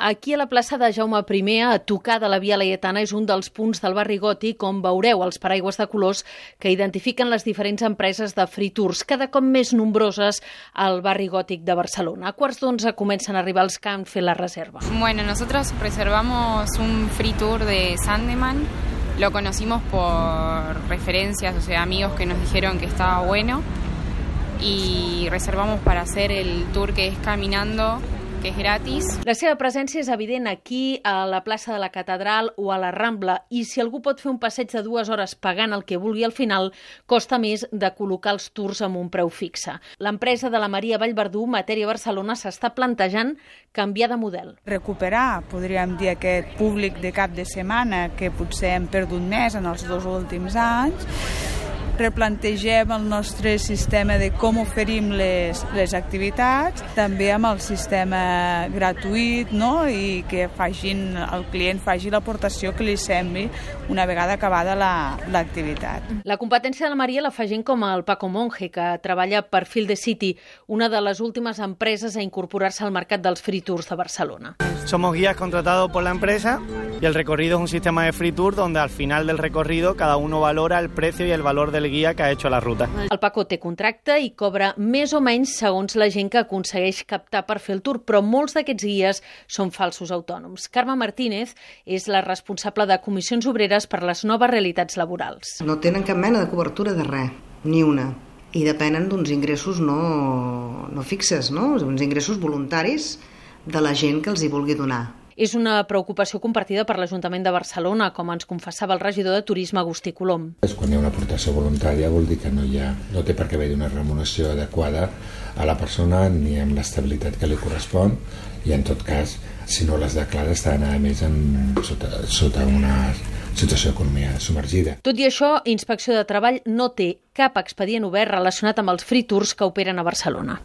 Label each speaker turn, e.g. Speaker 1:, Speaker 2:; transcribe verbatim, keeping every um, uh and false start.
Speaker 1: Aquí a la plaça de Jaume I, a tocar de la Via Laietana, és un dels punts del barri gòtic on veureu els paraigües de colors que identifiquen les diferents empreses de free tours, cada cop més nombroses al barri gòtic de Barcelona. A quarts d'onze comencen a arribar els que han fet la reserva.
Speaker 2: Bueno, nosotros reservamos un free tour de Sandeman. Lo conocimos por referencias, o sea, amigos que nos dijeron que estaba bueno, y reservamos para hacer el tour que es caminando, que és gratis.
Speaker 1: La seva presència és evident aquí, a la plaça de la Catedral o a la Rambla, i si algú pot fer un passeig de dues hores pagant el que vulgui al final, costa més de col·locar els tours amb un preu fixe. L'empresa de la Maria Vallverdú, Matèria Barcelona, s'està plantejant canviar de model.
Speaker 3: Recuperar, podríem dir, aquest públic de cap de setmana que potser hem perdut més en els dos últims anys. Replantegem el nostre sistema de com oferim les, les activitats, també amb el sistema gratuït, no? I que facin, el client faci l'aportació que li sembli una vegada acabada l'activitat.
Speaker 1: La, la competència de la Maria la fa gent com el Paco Monge, que treballa per Feel the City, una de les últimes empreses a incorporar-se al mercat dels free tours de Barcelona.
Speaker 4: Somos guías contratados por la empresa y el recorrido es un sistema de free tour donde al final del recorrido cada uno valora el precio y el valor del guia que ha hecho la ruta.
Speaker 1: El Paco té contracte i cobra més o menys segons la gent que aconsegueix captar per fer el tour, però molts d'aquests guies són falsos autònoms. Carme Martínez és la responsable de comissions obreres per les noves realitats laborals.
Speaker 5: No tenen cap mena de cobertura de res, ni una, i depenen d'uns ingressos no, no fixes, no? Uns ingressos voluntaris de la gent que els hi vulgui donar.
Speaker 1: És una preocupació compartida per l'Ajuntament de Barcelona, com ens confessava el regidor de Turisme, Agustí Colom.
Speaker 6: Quan hi ha una aportació voluntària vol dir que no, hi ha, no té per què haver una remuneració adequada a la persona ni amb l'estabilitat que li correspon, i en tot cas, si no les declara, estan a més en, sota, sota una situació d'economia submergida.
Speaker 1: Tot i això, Inspecció de Treball no té cap expedient obert relacionat amb els free tours que operen a Barcelona.